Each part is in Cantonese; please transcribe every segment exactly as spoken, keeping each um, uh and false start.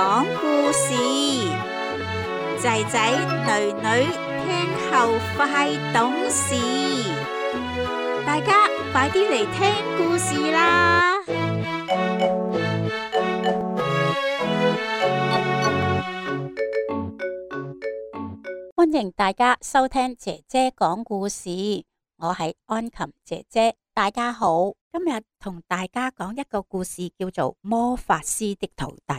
講故事，仔仔女女聽後快懂事，大家快啲嚟聽故事啦！歡迎大家收聽姐姐講故事，我係安琴姐姐，大家好。今日同大家講一個故事，叫做《魔法師的徒弟》。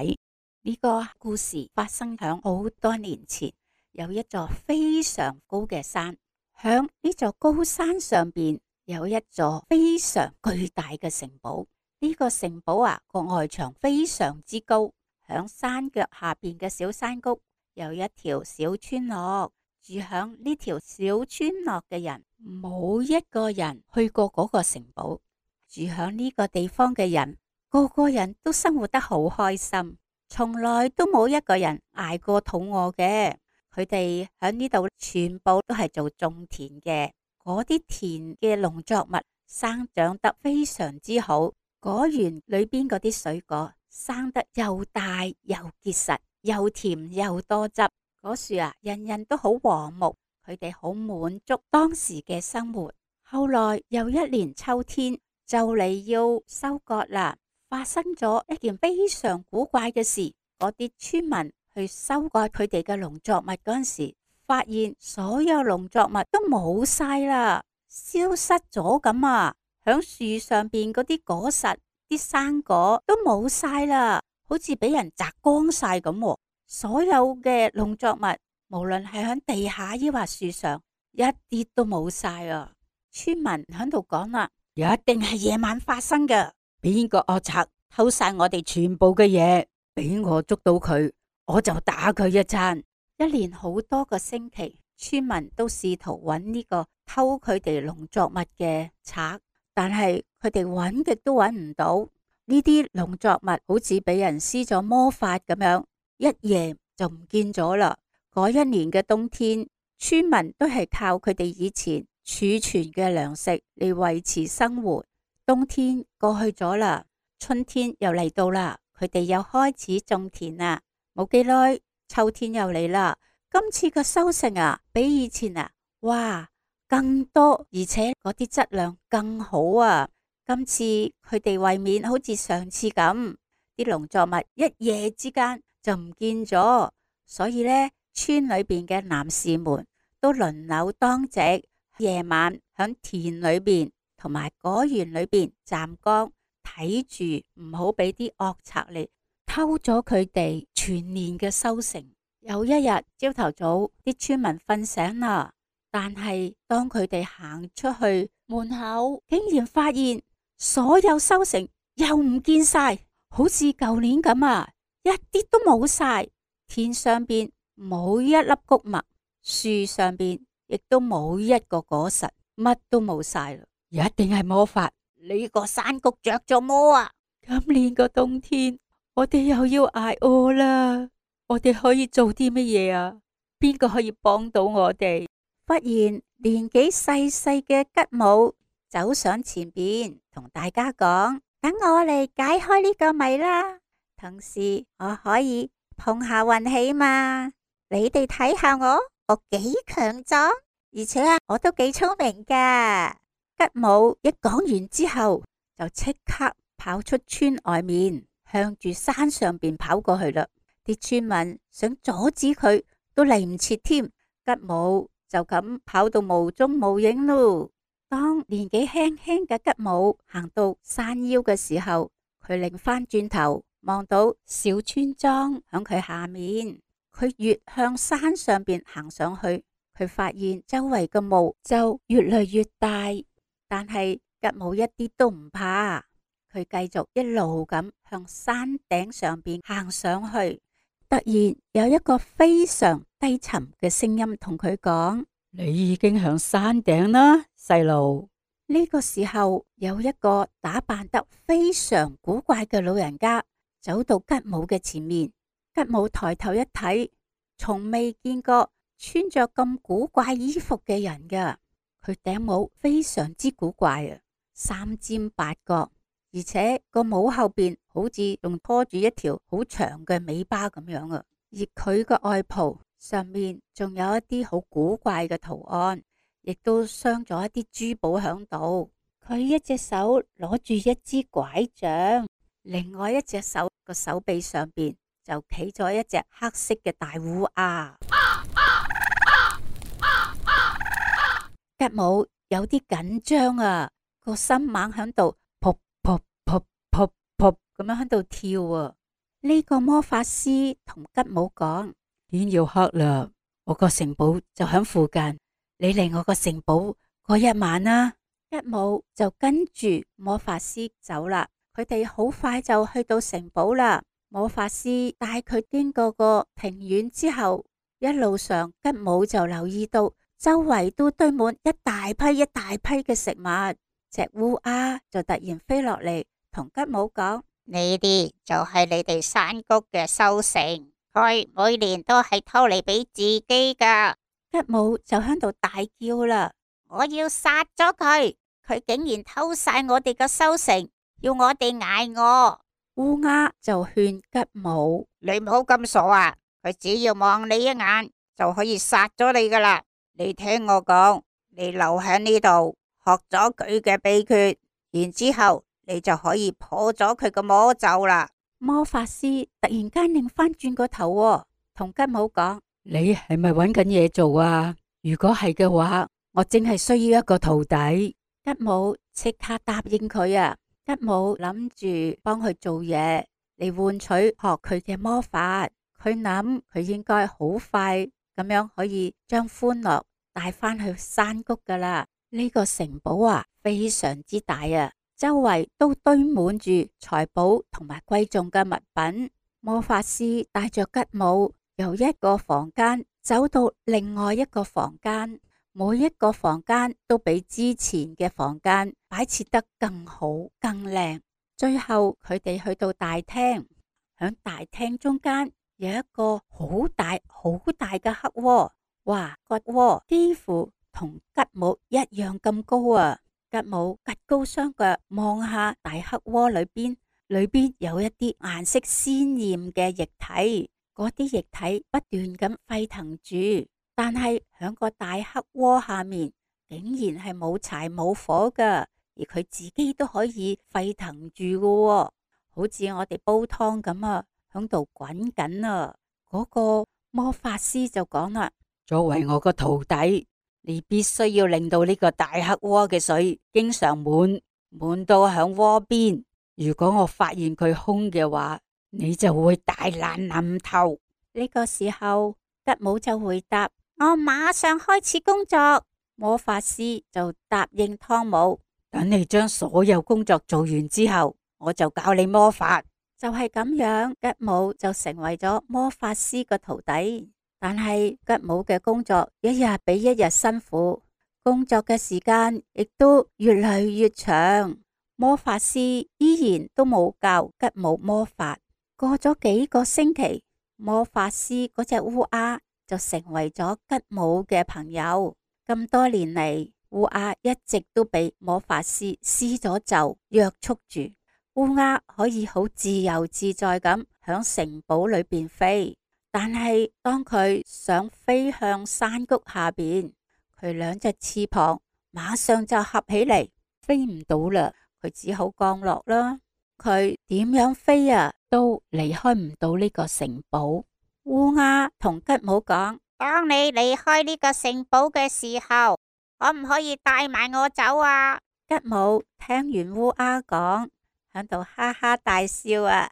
呢個故事發生響好多年前，有一座非常高嘅山，響呢座高山上邊有一座非常巨大嘅城堡。呢個城堡啊，個外牆非常之高，響山腳下邊嘅小山谷有一條小村落，住響呢條小村落嘅人冇一個人去過嗰個城堡。住響呢個地方嘅人，個個人都生活得好開心，從來都冇一個人捱過肚餓嘅。佢哋響呢度全部都係做種田嘅，嗰啲田嘅農作物生長得非常之好，果園裏邊嗰啲水果生得又大又結實，又甜又多汁。嗰樹啊，人人都好和睦，佢哋好滿足當時嘅生活。後來又一年秋天，就嚟要收割啦，發生咗一件非常古怪嘅事。嗰啲村民去收割佢哋嘅農作物嗰陣時，發現所有農作物都冇晒啦，消失咗咁啊！響樹上邊嗰啲果實、啲生果都冇晒啦，好似俾人摘光晒咁。所有嘅農作物，無論係響地下抑或樹上，一啲都冇晒啊！村民喺度講啦，一定係夜晚發生嘅，邊個惡賊偷晒我哋全部嘅嘢，俾我捉到佢，我就打佢一餐。一連好多個星期，村民都試圖揾呢個偷佢哋農作物嘅賊，但係佢哋揾極都揾唔到。呢啲農作物好似俾人施咗魔法咁樣，一夜就唔見咗啦。嗰一年嘅冬天，村民都係靠佢哋以前儲存嘅糧食嚟維持生活。冬天過去咗啦，春天又嚟到啦，佢哋又開始種田啦。冇幾耐，秋天又嚟啦。今次嘅收成啊，比以前啊，哇，更多，而且嗰啲質量更好啊。今次佢哋為免好似上次咁，啲農作物一夜之間就唔見咗，所以呢，村裏邊嘅男士們都輪流當值，夜晚響田裏邊同埋果園裏邊站崗，睇住唔好俾啲惡賊嚟偷咗佢哋全年嘅收成。有一日朝頭早，啲村民瞓醒啦，但係當佢哋行出去門口，竟然發現所有收成又唔見晒，好似舊年咁啊，一啲都冇晒。田上邊冇一粒穀物，樹上邊亦都冇一個果實，乜都冇晒啦。一定係魔法，呢個山谷着咗魔啊！今年個冬天，我哋又要挨餓啦。我哋可以做啲乜嘢啊？邊個可以幫到我哋？忽然年紀細細嘅吉姆走上前邊，同大家講：等我嚟解開呢個謎啦，同時我可以碰下運氣嘛。你哋睇下我，我幾強壯，而且啊，我都幾聰明噶。吉姆一講完之後，就即刻跑出村外面，向住山上邊跑過去啦。啲村民想阻止佢，都嚟唔切添。吉姆就咁跑到無蹤無影咯。當年紀輕輕嘅吉姆行到山腰嘅時候，佢擰翻轉頭望到小村莊響佢下面。佢越向山上邊行上去，佢發現周圍嘅霧就越嚟越大，但係吉姆一啲都唔怕，佢繼續一路咁向山頂上邊行上去。突然有一個非常低沉嘅聲音同佢講：你已經響山頂啦，細路。呢個時候有一個打扮得非常古怪嘅老人家走到吉姆嘅前面。吉姆抬頭一睇，從未見過穿着咁古怪衣服嘅人噶。佢頂帽非常之古怪啊，三尖八角，而且個帽後邊好似仲拖住一條好長嘅尾巴咁樣啊。而佢個外袍上面仲有一啲好古怪嘅圖案，亦都鑲咗一啲珠寶響度。佢一隻手攞住一支拐杖，另外一隻手個手臂上邊就企咗一隻黑色嘅大烏鴉。吉姆有啲緊張啊，個心猛響度噗噗噗噗噗咁樣響度跳啊。呢個魔法師同吉姆講：天要黑啦，我個城堡就響附近，你嚟我個城堡過一晚啦。吉姆就跟住魔法師走啦，佢哋好快就去到城堡啦。魔法師帶佢經過個庭院之後，一路上吉姆就留意到周圍都堆滿一大批一大批嘅食物。隻烏鴉就突然飛落嚟，同吉姆講：呢啲就係你哋山谷嘅收成，佢每年都係偷嚟俾自己噶。吉姆就喺度大叫啦：我要殺咗佢！佢竟然偷晒我哋嘅收成，要我哋挨餓。烏鴉就勸吉姆：你唔好咁傻啊！佢只要望你一眼就可以殺咗你噶啦。你聽我講，你留喺呢度學咗佢嘅秘訣，然之後你就可以破咗佢個魔咒啦。魔法師突然間擰翻轉個頭，同吉姆講：你係咪搵緊嘢做啊？如果係嘅話，我淨係需要一個徒弟。吉姆即刻答應佢啊！吉姆諗住幫佢做嘢嚟換取學佢嘅魔法。佢諗佢應該好快咁樣可以將歡樂帶翻去山谷噶啦。呢個城堡啊，非常之大啊，周圍都堆滿住財寶同埋貴重嘅物品。魔法師帶着吉姆由一個房間走到另外一個房間，每一個房間都比之前嘅房間擺設得更好更靚。最後佢哋去到大廳，響大廳中間有一個好大好大嘅黑窩，哇，個窩幾乎同吉姆一樣咁高啊！吉姆趷高雙腳望下大黑窩裏邊，裏邊有一啲顏色鮮艷嘅液體，嗰啲液體不斷咁沸騰住，但係響個大黑窩下面竟然係冇柴冇火噶，而佢自己都可以沸騰住噶，好似我哋煲湯咁啊，響度滾緊啊！嗰個魔法師就講啦：作為我個徒弟，你必須要令到呢個大黑窩嘅水經常滿滿到響窩邊。如果我發現佢空嘅話，你就會大難臨頭。呢個時候，吉姆就回答：我馬上開始工作。魔法師就答應湯姆：等你將所有工作做完之後，我就教你魔法。就係咁樣，吉姆就成為咗魔法師個徒弟。但係吉姆嘅工作一日比一日辛苦，工作嘅時間亦都越嚟越長。魔法師依然都冇教吉姆魔法。過咗幾個星期，魔法師嗰隻烏鴉就成為咗吉姆嘅朋友。咁多年嚟，烏鴉一直都俾魔法師施咗咒約束住。烏鴉可以好自由自在咁響城堡裏邊飛，但係當佢想飛向山谷下邊，佢兩隻翅膀馬上就合起嚟，飛唔到啦。佢只好降落啦。佢點樣飛啊，都離開唔到呢個城堡。烏鴉同吉姆講：當你離開呢個城堡嘅時候，可唔可以帶埋我走啊？吉姆聽完烏鴉講，喺度哈哈大笑啊！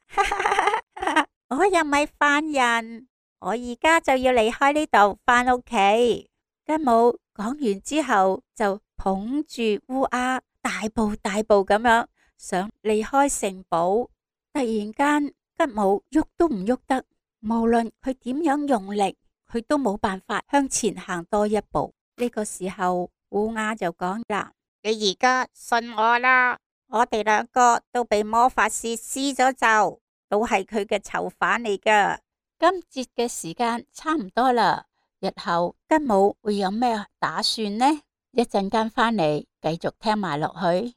我又唔係犯人，我而家就要離開呢度返屋企。吉姆講完之後，就捧住烏鴉，大步大步咁樣想離開城堡。突然間，吉姆喐都唔喐得，無論佢點樣用力，佢都冇辦法向前行多一步。呢個時候，烏鴉就講啦：你而家信我啦，我哋兩個都被魔法師施咗咒，都係佢嘅囚犯嚟噶。今節嘅時間差唔多啦，日後吉姆會有咩打算呢？一陣間返嚟繼續聽埋落去。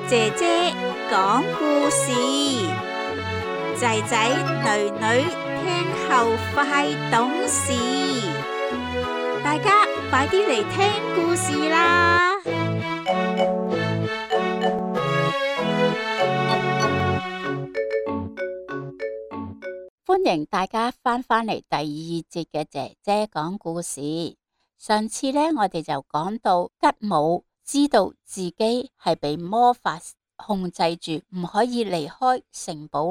姐姐講故事，仔仔女女聽後快懂事，大家快啲嚟聽故事啦！歡迎大家翻返嚟第二節嘅姐姐講故事。上次呢，我哋就講到吉姆知道自己係被魔法控制住，唔可以離開城堡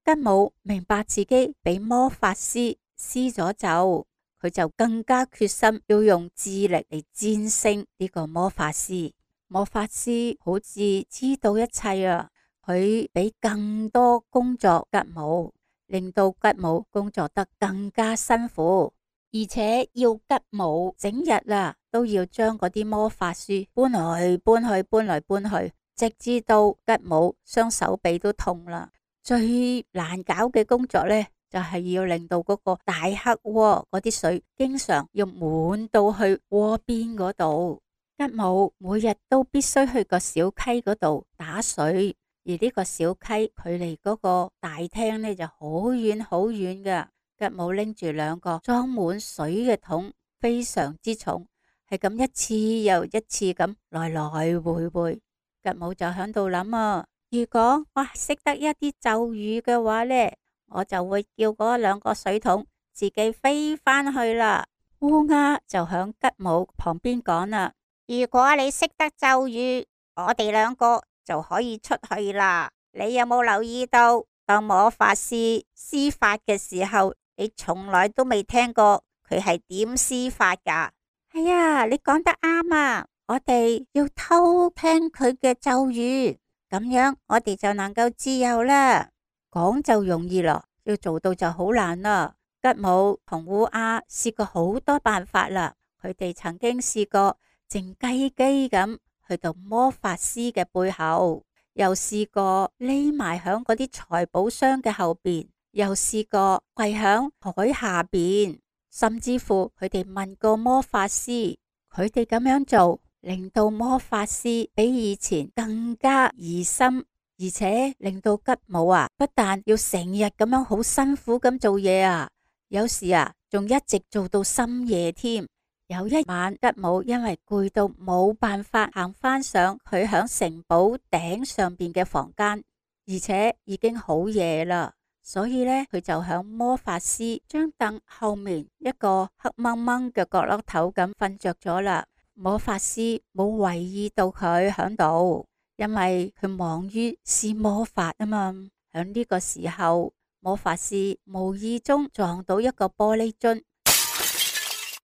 喎。吉姆明白自己俾魔法師施咗咒，佢就更加決心要用智力嚟戰勝呢個魔法師。魔法師好似知道一切啊，佢俾更多工作吉姆，令到吉姆工作得更加辛苦，而且要吉姆整日啊都要將嗰啲魔法書搬來搬去，搬來搬去，直至到吉姆雙手臂都痛啦。最難搞嘅工作呢，就係要令到嗰個大黑鍋嗰啲水經常要滿到去鍋邊嗰度。吉姆每日都必須去個小溪嗰度打水，而呢個小溪距離嗰個大廳呢就好遠好遠噶。吉姆拎住兩個裝滿水嘅桶，非常之重，係咁一次又一次咁來來回回。吉姆就響度諗啊，如果我識得一啲咒語嘅話呢，我就會叫嗰兩個水桶自己飛返去啦。烏鴉就響吉姆旁邊講啦，如果你識得咒語，我哋兩個就可以出去啦。你有冇留意到，當魔法師施法嘅時候，你從來都未聽過佢係點施法噶？係啊，你講得啱啊！我哋要偷聽佢嘅咒語，咁樣我哋就能夠自由啦。講就容易咯，要做到就好難啦。吉姆同烏鴉試過好多辦法啦，佢哋曾經試過靜雞雞咁去到魔法師嘅背後，又試過匿埋響嗰啲財寶箱嘅後邊，又試過跪響海下邊，甚至乎佢哋問過魔法師，佢哋咁樣做令到魔法師比以前更加疑心，而且令到吉姆啊不但要成日咁樣好辛苦咁做嘢啊，有時啊仲一直做到深夜添。有一晚，吉姆因為攰到冇辦法行返上佢響城堡頂上邊嘅房間，而且已經好夜啦，所以呢，佢就響魔法師張凳後面一個黑掹掹嘅角落頭咁瞓着咗啦。魔法師冇懷疑到佢響度，因為佢忙於施魔法啊嘛。響呢個時候，魔法師無意中撞到一個玻璃樽，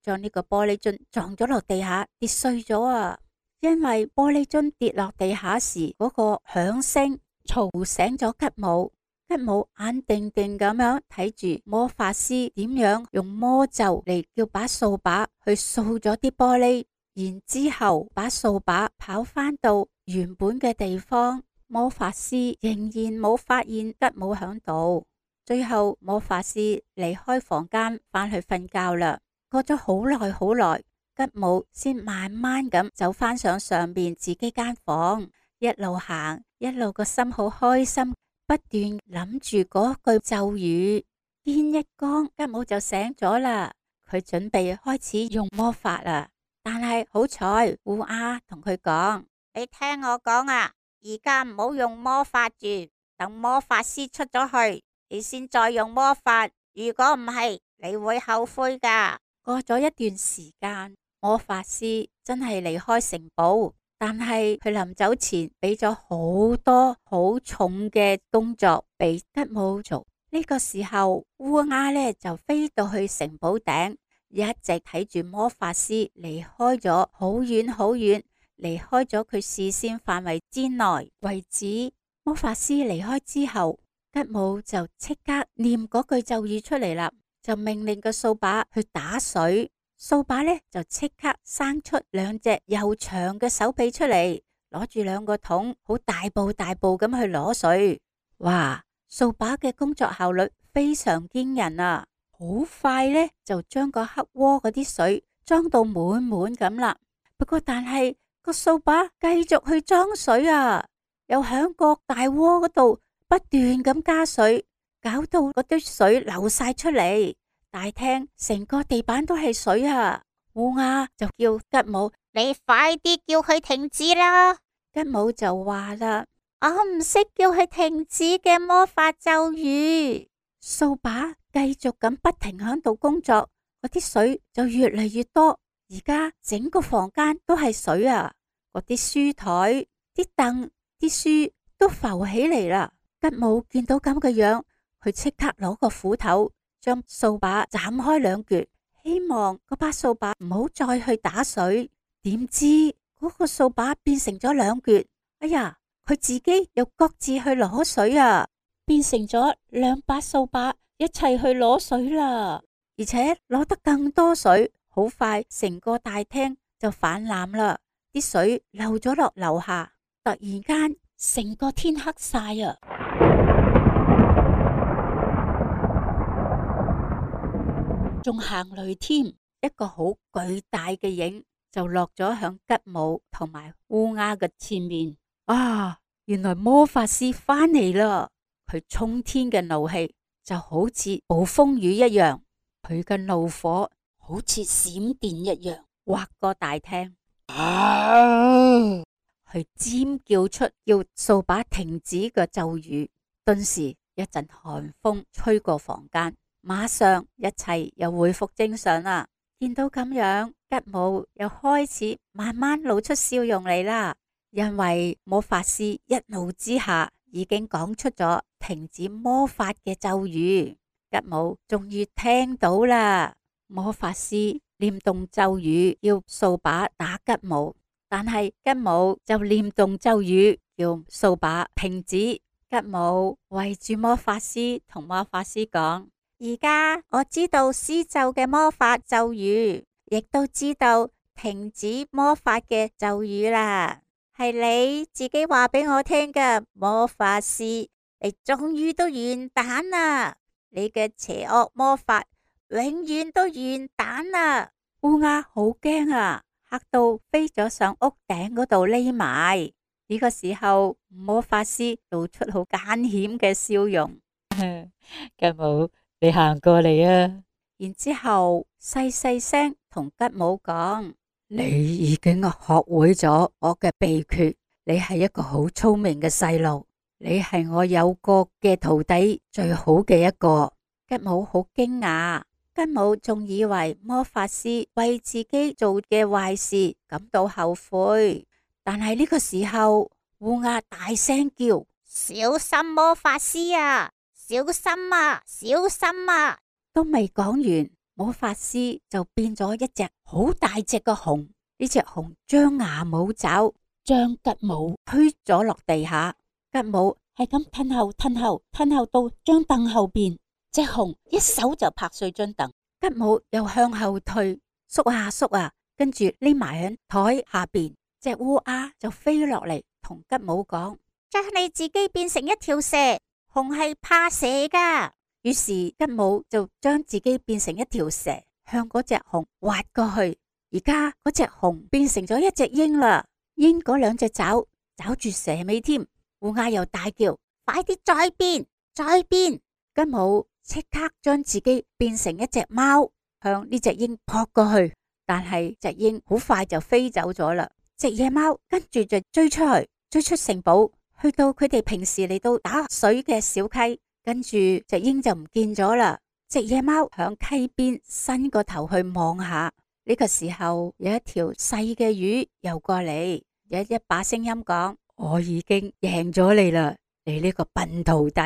將呢個玻璃樽撞咗落地下，跌碎咗啊！因為玻璃樽跌落地下時嗰個響聲嘈醒咗吉姆。吉姆眼定定咁樣睇住魔法師點樣用魔咒嚟叫把掃把去掃咗啲玻璃，然之後把掃把跑返到原本嘅地方。魔法師仍然冇發現吉姆響度。最後魔法師離開房間返去瞓覺啦。過咗好耐好耐，吉姆先慢慢咁走返上上邊自己間房，一路行一路個心好開心，不斷諗住嗰句咒語。天一光，吉姆就醒咗啦，佢準備開始用魔法啦。但係好彩，烏鴉同佢講：你聽我講啊，而家唔好用魔法住，等魔法師出咗去，你先再用魔法。如果唔係，你會後悔噶。過咗一段時間，魔法師真係離開城堡，但係佢臨走前俾咗好多好重嘅工作俾吉姆做。呢個時候，烏鴉呢就飛到去城堡頂，一直睇住魔法師離開咗好遠好遠，離開咗佢視線範圍之內為止。魔法師離開之後，吉姆就即刻念嗰句咒語出嚟啦。就命令個掃把去打水，掃把呢就即刻生出兩隻又長嘅手臂出嚟，攞住兩個桶，好大步大步咁去攞水。哇！掃把嘅工作效率非常驚人啊，好快呢就將個黑鍋嗰啲水裝到滿滿咁啦。不過但係個掃把繼續去裝水啊，又響個大鍋嗰度不斷咁加水，搞到嗰啲水流晒出嚟，大廳成個地板都係水啊！烏鴉就叫吉姆，你快啲叫佢停止啦！吉姆就話啦，我唔識叫佢停止嘅魔法咒語。掃把繼續咁不停響度工作，嗰啲水就越嚟越多，而家整個房間都係水啊！嗰啲書台、啲凳、啲書都浮起嚟啦。吉姆見到咁嘅樣，佢即刻攞個斧頭將掃把斬開兩橛，希望嗰把掃把唔好再去打水。點知嗰個掃把變成咗兩橛，哎呀，佢自己又各自去攞水啊，變成咗兩把掃把一齊去攞水啦，而且攞得更多水，好快成個大廳就氾濫啦，啲水流咗落樓下，突然間成個天黑晒啊！仲行雷添，一個好巨大嘅影就落咗響吉姆同埋烏鴉嘅前面。啊，原來魔法師翻嚟啦！佢衝天嘅怒氣就好似暴風雨一樣，佢嘅怒火好似閃電一樣劃過大廳。啊！佢尖叫出要掃把停止嘅咒語，頓時一陣寒風吹過房間，馬上一切又恢復正常啦。見到咁樣，吉姆又開始慢慢露出笑容嚟啦，因為魔法師一怒之下已經講出咗停止魔法嘅咒語。吉姆終於聽到啦，魔法師念動咒語要掃把打吉姆，但係吉姆就念動咒語叫掃把停止。吉姆圍住魔法師同魔法師講，而家我知道施咒嘅魔法咒語，亦都知道停止魔法嘅咒語啦。係你自己話俾我聽嘅，魔法師，你終於都完蛋啦！你嘅邪惡魔法永遠都完蛋啦！烏鴉好驚啊，嚇到飛咗上屋頂嗰度匿埋。呢個時候，魔法師露出好艱險嘅笑容。吉姆，你行過嚟啊！然之後細細聲同吉姆講，你已經學會咗我嘅秘訣，你係一個好聰明嘅細路，你係我有過嘅徒弟最好嘅一個。吉姆好驚訝，吉姆仲以為魔法師為自己做嘅壞事感到後悔。但係呢個時候，烏鴉大聲叫：小心魔法師啊！小心啊！小心啊！都未講完，魔法師就變咗一隻好大隻嘅熊。呢隻熊張牙舞爪，將吉姆推咗落地下。吉姆係咁褪後褪後褪後到張凳後邊，隻熊一手就拍碎張凳。吉姆又向後退，縮下縮啊，跟住匿埋喺台下邊。隻烏鴉就飛落嚟，同吉姆講：將你自己變成一條蛇，熊係怕蛇噶。於是吉姆就將自己變成一條蛇，向嗰隻熊滑過去。而家嗰隻熊變成咗一隻鷹啦，鷹嗰兩隻爪抓住蛇尾添。烏鴉又大叫：快啲再變，再變！吉姆即刻將自己變成一隻貓，向呢隻鷹撲過去。但係隻鷹好快就飛走咗啦。隻野貓跟住就追出去，追出城堡，去到佢哋平時嚟到打水嘅小溪，跟住隻鷹就唔見咗啦。隻野貓響溪邊伸個頭去望下，呢個時候有一條細嘅魚游過嚟，有一把聲音講：我已經贏咗你啦，你呢個笨徒弟，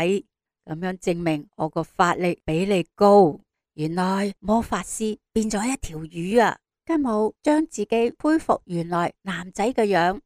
咁樣證明我個法力比你高。原來魔法師變咗一條魚啊！吉姆將自己恢復原來男仔嘅樣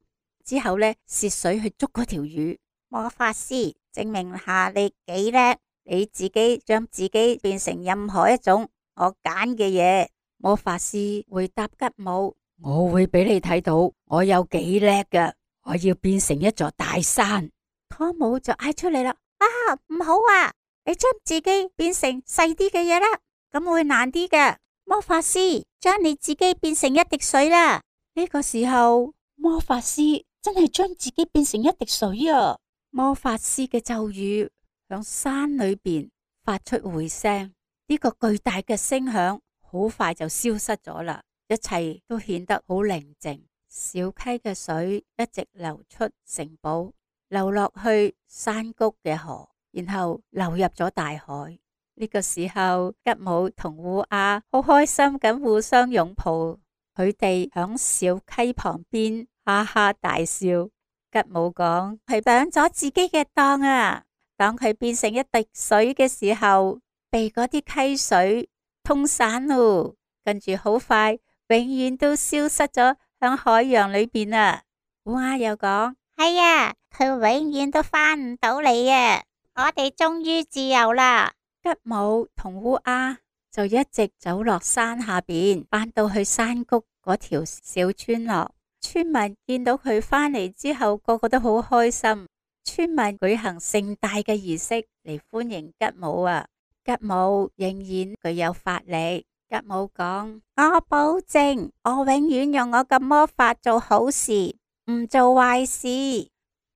之後呢，涉水去捉嗰條魚。魔法師，證明下你幾叻，你自己將自己變成任何一種我揀嘅嘢。魔法師回答吉姆：我會俾你睇到我有幾叻㗎，我要變成一座大山。湯姆就嗌出嚟啦：啊，唔好啊，你將自己變成細啲嘅嘢啦，咁會難啲嘅。魔法師，將你自己變成一滴水啦！呢個時候，魔法師真係將自己變成一滴水啊！魔法師嘅咒語響山裏邊發出回聲，呢個巨大嘅聲響好快就消失咗啦，一切都顯得好寧靜。小溪嘅水一直流出城堡，流落去山谷嘅河，然後流入咗大海。呢個時候，吉姆同烏鴉好開心咁互相擁抱，佢哋響小溪旁邊哈哈大笑。吉姆講：佢上咗自己嘅當啊！當佢變成一滴水嘅時候，被嗰啲溪水沖散咯，跟住好快永遠都消失咗響海洋裏邊啊！烏鴉又講：係啊，佢永遠都翻唔到嚟啊！我哋終於自由啦！吉姆同烏鴉就一直走落山下邊，返到去山谷嗰條小村落。村民見到佢返嚟之後，個個都好開心。村民舉行盛大嘅儀式嚟歡迎吉姆啊！吉姆仍然具有法力。吉姆講：我保證，我永遠用我嘅魔法做好事，唔做壞事。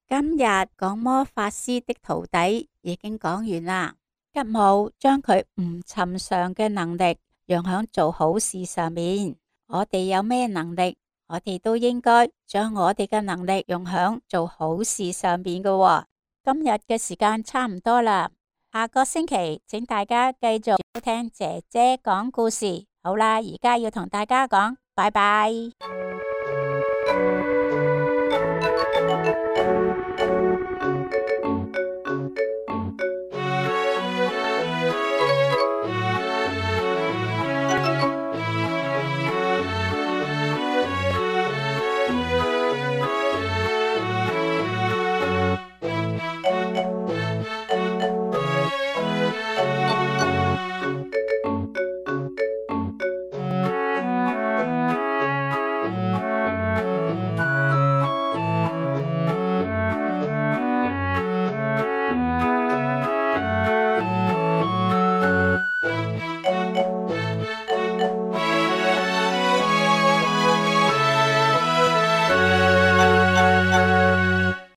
今日講魔法師的徒弟已經講完啦。吉姆將佢唔尋常嘅能力用響做好事上面。我哋有咩能力，我哋都應該將我哋嘅能力用響做好事上面嘅喎。今日嘅時間差唔多啦，下個星期請大家繼續收聽姐姐講故事。好啦，而家要同大家講拜拜。